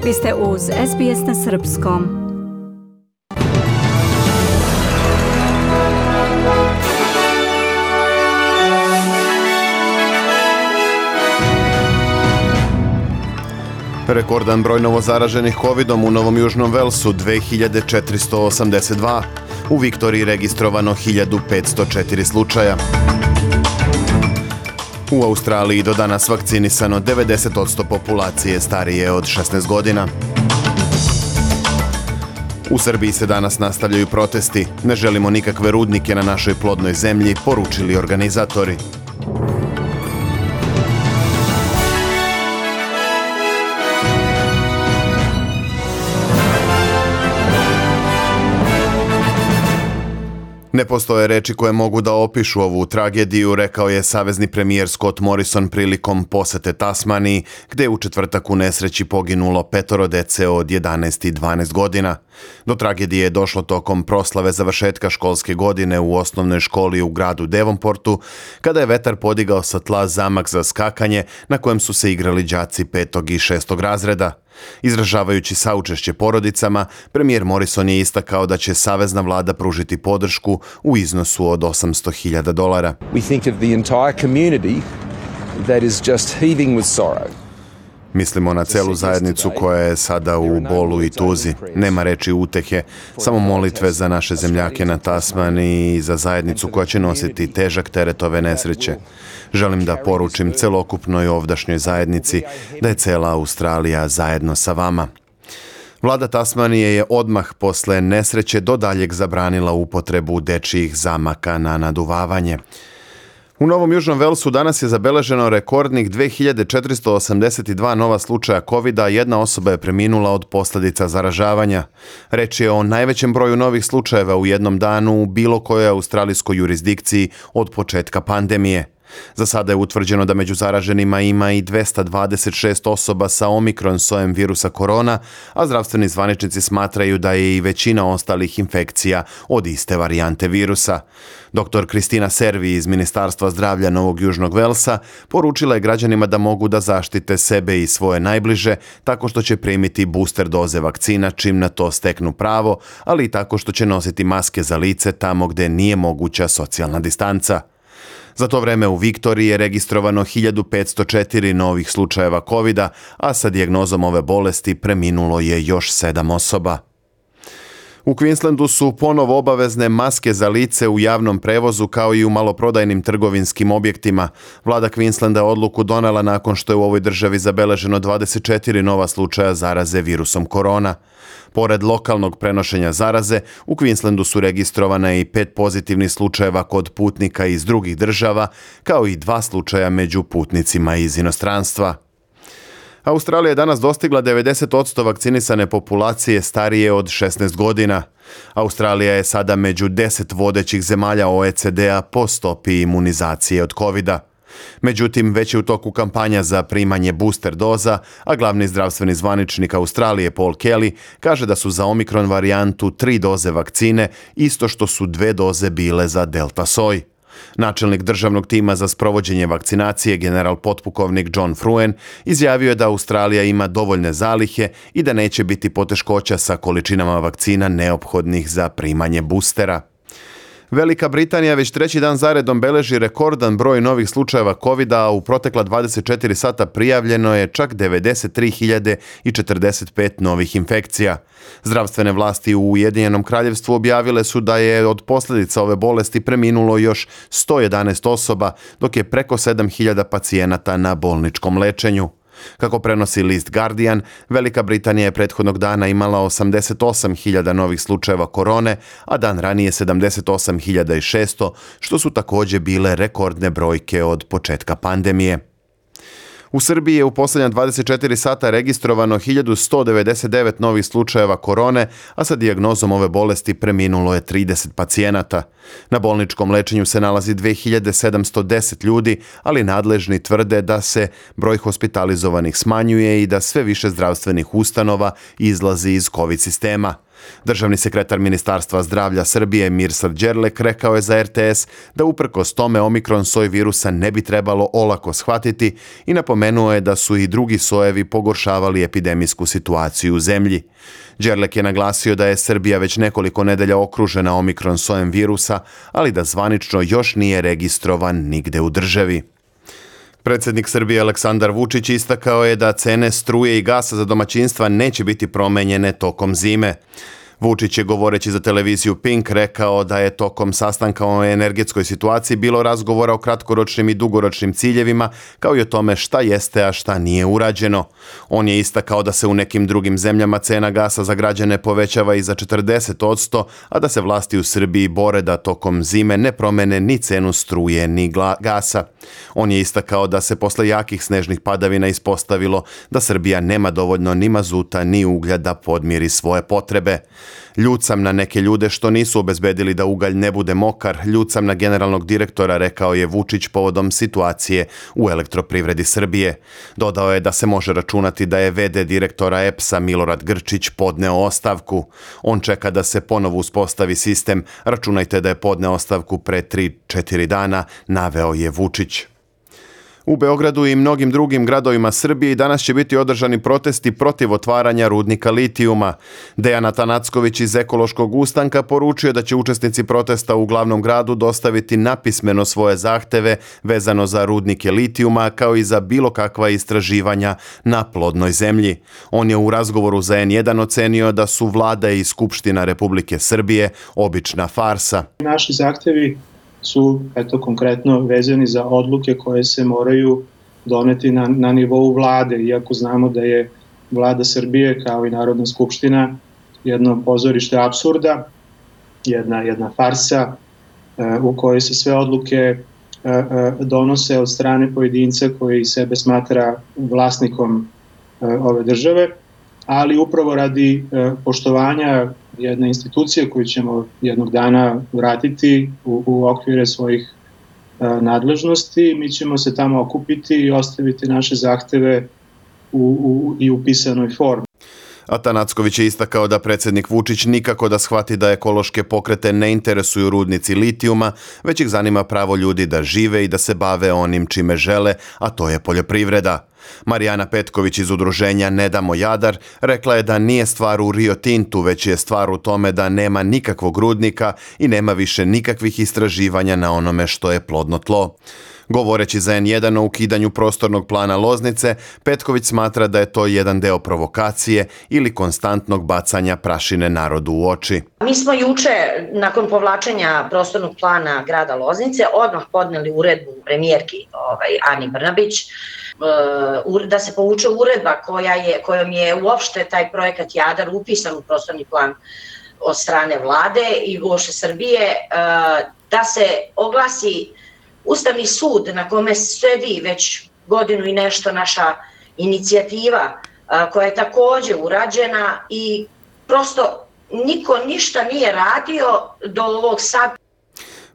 Vi ste uz SBS na srpskom. Rekordan broj novozaraženih covidom u Novom Južnom Velsu 2482. U Viktoriji registrovano 1504 slučaja. U Australiji do danas vakcinisano 90% populacije starije od 16 godina. U Srbiji se danas nastavljaju protesti. Ne želimo nikakve rudnike na našoj plodnoj zemlji, poručili organizatori. Ne postoje reči koje mogu da opišu ovu tragediju, rekao je savezni premijer Scott Morrison prilikom posete Tasmaniji, gde je u četvrtak u nesreći poginulo 5 dece od 11 i 12 godina. Do tragedije je došlo tokom proslave završetka školske godine u osnovnoj školi u gradu Devonportu, kada je vetar podigao sa tla zamak za skakanje na kojem su se igrali đaci 5. i 6. razreda. Izražavajući saučešće porodicama, premijer Morrison je istakao da će savezna vlada pružiti podršku u iznosu od $800,000. We think of the entire community that is just heaving with sorrow. Mislimo na celu zajednicu koja je sada u bolu i tuzi. Nema reči utehe, samo molitve za naše zemljake na Tasmaniji i za zajednicu koja će nositi težak teret ove nesreće. Želim da poručim celokupnoj ovdašnjoj zajednici da je cela Australija zajedno sa vama. Vlada Tasmanije je odmah posle nesreće do daljeg zabranila upotrebu dečijih zamaka na naduvavanje. U Novom Južnom Velsu danas je zabeleženo rekordnih 2482 nova slučaja covida, jedna osoba je preminula od posljedica zaražavanja. Reč je o najvećem broju novih slučajeva u jednom danu u bilo kojoj australijskoj jurisdikciji od početka pandemije. Za sada je utvrđeno da među zaraženima ima i 226 osoba sa omikron sojem virusa korona, a zdravstveni zvaničnici smatraju da je i većina ostalih infekcija od iste varijante virusa. Dr. Kristina Servi iz Ministarstva zdravlja Novog Južnog Velsa poručila je građanima da mogu da zaštite sebe i svoje najbliže tako što će primiti booster doze vakcina čim na to steknu pravo, ali i tako što će nositi maske za lice tamo gde nije moguća socijalna distanca. Za to vreme u Viktoriji je registrovano 1504 novih slučajeva covida, a sa dijagnozom ove bolesti preminulo je još 7 osoba. U Queenslandu su ponovo obavezne maske za lice u javnom prevozu kao i u maloprodajnim trgovinskim objektima. Vlada Queenslanda odluku donela nakon što je u ovoj državi zabeleženo 24 nova slučaja zaraze virusom korona. Pored lokalnog prenošenja zaraze, u Queenslandu su registrovane i 5 pozitivnih slučajeva kod putnika iz drugih država, kao i 2 slučaja među putnicima iz inostranstva. Australija je danas dostigla 90% vakcinisane populacije starije od 16 godina. Australija je sada među 10 vodećih zemalja OECD-a po stopi imunizacije od covida. Međutim, već je u toku kampanja za primanje booster doza, a glavni zdravstveni zvaničnik Australije Paul Kelly kaže da su za omikron varijantu 3 doze vakcine, isto što su 2 doze bile za delta soj. Načelnik državnog tima za sprovođenje vakcinacije, general potpukovnik John Fruen, izjavio je da Australija ima dovoljne zalihe i da neće biti poteškoća sa količinama vakcina neophodnih za primanje boostera. Velika Britanija već 3. dan zaredom beleži rekordan broj novih slučajeva covida, a u protekla 24 sata prijavljeno je čak 93.045 novih infekcija. Zdravstvene vlasti u Ujedinjenom Kraljevstvu objavile su da je od posljedica ove bolesti preminulo još 111 osoba, dok je preko 7.000 pacijenata na bolničkom lečenju. Kako prenosi list Guardian, Velika Britanija je prethodnog dana imala 88.000 novih slučajeva korone, a dan ranije 78.600, što su također bile rekordne brojke od početka pandemije. U Srbiji je u posljednja 24 sata registrovano 1199 novih slučajeva korone, a sa dijagnozom ove bolesti preminulo je 30 pacijenata. Na bolničkom lečenju se nalazi 2710 ljudi, ali nadležni tvrde da se broj hospitalizovanih smanjuje i da sve više zdravstvenih ustanova izlazi iz COVID sistema. Državni sekretar Ministarstva zdravlja Srbije Mirsad Đerlek rekao je za RTS da uprkos tome omikron soj virusa ne bi trebalo olako shvatiti i napomenuo je da su i drugi sojevi pogoršavali epidemijsku situaciju u zemlji. Đerlek je naglasio da je Srbija već nekoliko nedelja okružena omikron sojem virusa, ali da zvanično još nije registrovan nigde u državi. Predsjednik Srbije Aleksandar Vučić istakao je da cene struje i gasa za domaćinstva neće biti promenjene tokom zime. Vučić je govoreći za televiziju Pink rekao da je tokom sastanka o energetskoj situaciji bilo razgovora o kratkoročnim i dugoročnim ciljevima, kao i o tome šta jeste, a šta nije urađeno. On je istakao da se u nekim drugim zemljama cena gasa za građane povećava i za 40%, a da se vlasti u Srbiji bore da tokom zime ne promene ni cenu struje ni gasa. On je istakao da se posle jakih snežnih padavina ispostavilo da Srbija nema dovoljno ni mazuta ni uglja da podmiri svoje potrebe. Ljut sam na neke ljude što nisu obezbedili da ugalj ne bude mokar, ljut sam na generalnog direktora, rekao je Vučić povodom situacije u Elektroprivredi Srbije. Dodao je da se može računati da je VD direktora EPS-a Milorad Grčić podneo ostavku. On čeka da se ponovo uspostavi sistem, računajte da je podneo ostavku pre 3-4 dana, naveo je Vučić. U Beogradu i mnogim drugim gradovima Srbije danas će biti održani protesti protiv otvaranja rudnika litijuma. Dejan Atanacković iz Ekološkog ustanka poručio da će učesnici protesta u glavnom gradu dostaviti napismeno svoje zahteve vezano za rudnike litijuma kao i za bilo kakva istraživanja na plodnoj zemlji. On je u razgovoru za N1 ocenio da su vlada i Skupština Republike Srbije obična farsa. Naši zahtevi su konkretno vezani za odluke koje se moraju doneti na nivou vlade, iako znamo da je vlada Srbije kao i Narodna skupština jedno pozorište apsurda, jedna farsa u kojoj se sve odluke donose od strane pojedinca koji sebe smatra vlasnikom ove države, ali upravo radi poštovanja jedne institucije koju ćemo jednog dana vratiti u okvire svojih nadležnosti. Mi ćemo se tamo okupiti i ostaviti naše zahteve i u pisanoj formi. Atanacković je istakao da predsjednik Vučić nikako da shvati da ekološke pokrete ne interesuju rudnici litijuma, već ih zanima pravo ljudi da žive i da se bave onim čime žele, a to je poljoprivreda. Marijana Petković iz udruženja Ne damo Jadar rekla je da nije stvar u Rio Tintu, već je stvar u tome da nema nikakvog rudnika i nema više nikakvih istraživanja na onome što je plodno tlo. Govoreći za N1 o ukidanju prostornog plana Loznice, Petković smatra da je to jedan deo provokacije ili konstantnog bacanja prašine narodu u oči. Mi smo juče, nakon povlačenja prostornog plana grada Loznice, odmah podneli uredbu premijerki Ani Brnabić, da se povuče uredba kojom je uopšte taj projekat Jadar upisan u prostorni plan od strane vlade i uopšte Srbije, da se oglasi Ustavni sud na kome sedi već godinu i nešto naša inicijativa koja je također urađena i prosto niko ništa nije radio do ovog sad.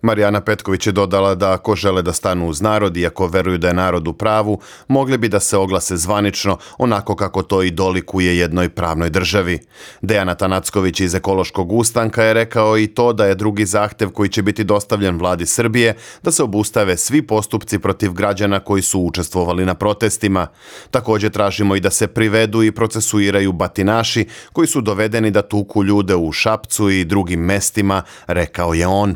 Marijana Petković je dodala da ako žele da stanu uz narod i ako veruju da je narod u pravu, mogli bi da se oglase zvanično, onako kako to i dolikuje jednoj pravnoj državi. Dejan Atanacković iz Ekološkog ustanka je rekao i to da je drugi zahtev koji će biti dostavljen vladi Srbije da se obustave svi postupci protiv građana koji su učestvovali na protestima. Također tražimo i da se privedu i procesuiraju batinaši koji su dovedeni da tuku ljude u Šapcu i drugim mestima, rekao je on.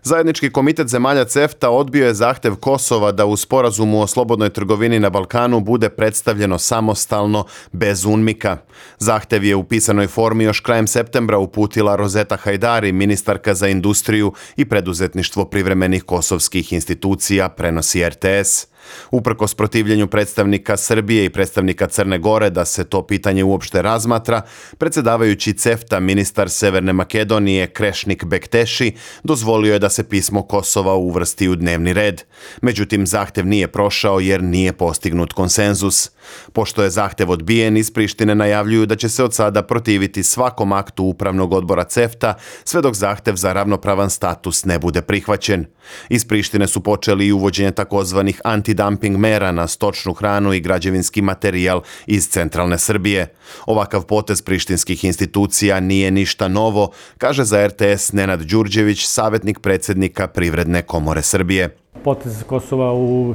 Zajednički komitet zemalja CEFTA odbio je zahtev Kosova da u sporazumu o slobodnoj trgovini na Balkanu bude predstavljeno samostalno, bez UNMIK-a. Zahtev je u pisanoj formi još krajem septembra uputila Rozeta Hajdari, ministarka za industriju i preduzetništvo privremenih kosovskih institucija, prenosi RTS. Uprkos protivljenju predstavnika Srbije i predstavnika Crne Gore da se to pitanje uopšte razmatra, predsjedavajući CEFTA ministar Severne Makedonije Krešnik Bekteši dozvolio je da se pismo Kosova uvrsti u dnevni red. Međutim, zahtev nije prošao jer nije postignut konsenzus. Pošto je zahtev odbijen, iz Prištine najavljuju da će se od sada protiviti svakom aktu upravnog odbora CEFTA sve dok zahtev za ravnopravan status ne bude prihvaćen. Iz Prištine su počeli i uvođenje takozvanih antidemokratičnih antidumping mera na stočnu hranu i građevinski materijal iz centralne Srbije. Ovakav potez prištinskih institucija nije ništa novo, kaže za RTS Nenad Đurđević, savjetnik predsjednika Privredne komore Srbije. Potez Kosova u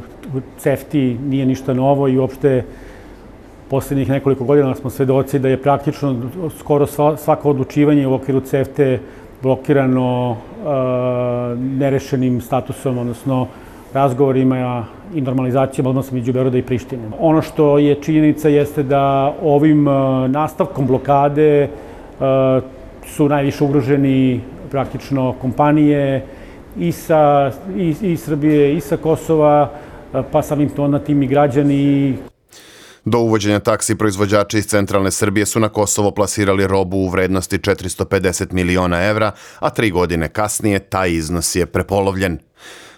CEFTA-i nije ništa novo i uopšte posljednjih nekoliko godina smo svedoci da je praktično skoro svako odlučivanje u okviru CEFTA blokirano nerešenim statusom, odnosno razgovorima i normalizacijom odnosa među Beograda i Prištine. Ono što je činjenica jeste da ovim nastavkom blokade su najviše ugroženi praktično kompanije i Srbije i sa Kosova, pa samim tim i građani. Do uvođenja taksi proizvođači iz centralne Srbije su na Kosovo plasirali robu u vrednosti 450 miliona evra, a 3 godine kasnije taj iznos je prepolovljen.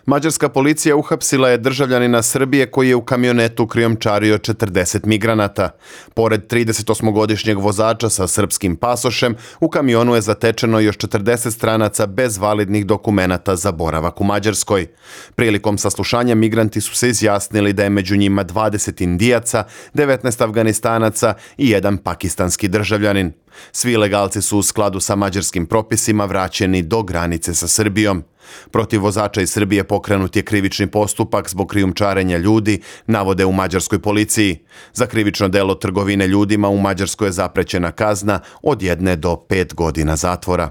Mađarska policija uhapsila je državljanina Srbije koji je u kamionetu krijumčario 40 migranata. Pored 38-godišnjeg vozača sa srpskim pasošem, u kamionu je zatečeno još 40 stranaca bez validnih dokumenata za boravak u Mađarskoj. Prilikom saslušanja migranti su se izjasnili da je među njima 20 Indijaca, 19 Afganistanaca i 1 pakistanski državljanin. Svi ilegalci su u skladu sa mađarskim propisima vraćeni do granice sa Srbijom. Protiv vozača iz Srbije pokrenut je krivični postupak zbog krijumčarenja ljudi, navode u mađarskoj policiji. Za krivično delo trgovine ljudima u Mađarskoj je zaprećena kazna od 1 do 5 godina zatvora.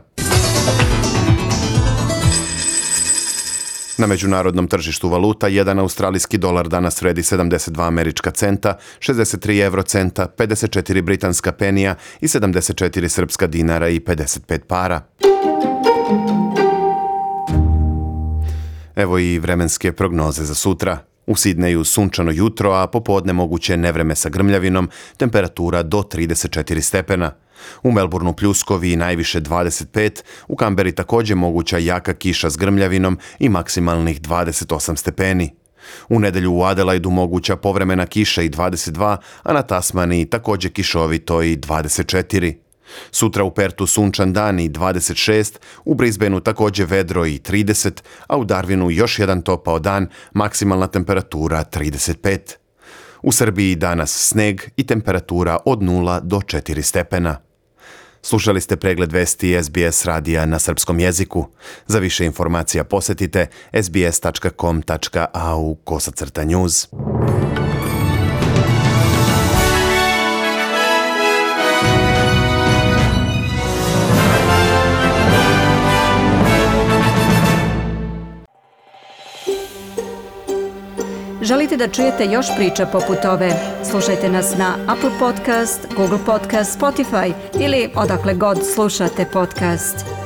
Na međunarodnom tržištu valuta, 1 australijski dolar danas vredi 72 američka centa, 63 eurocenta, 54 britanska penija i 74 srpska dinara i 55 para. Evo i vremenske prognoze za sutra. U Sidneju sunčano jutro, a popodne moguće nevreme sa grmljavinom, temperatura do 34 stepena. U Melbourneu pljuskovi i najviše 25, u Kamberi također moguća jaka kiša s grmljavinom i maksimalnih 28 stepeni. U nedelju u Adelaidu moguća povremena kiša i 22, a na Tasmaniji također kišovito i 24. Sutra u Pertu sunčan dan i 26, u Brisbaneu također vedro i 30, a u Darwinu još jedan topao dan, maksimalna temperatura 35. U Srbiji danas sneg i temperatura od 0 do 4 stepena. Slušali ste pregled vesti SBS radija na srpskom jeziku. Za više informacija posjetite sbs.com.au/news. Želite da čujete još priča poput ove? Slušajte nas na Apple Podcast, Google Podcast, Spotify ili odakle god slušate podcast.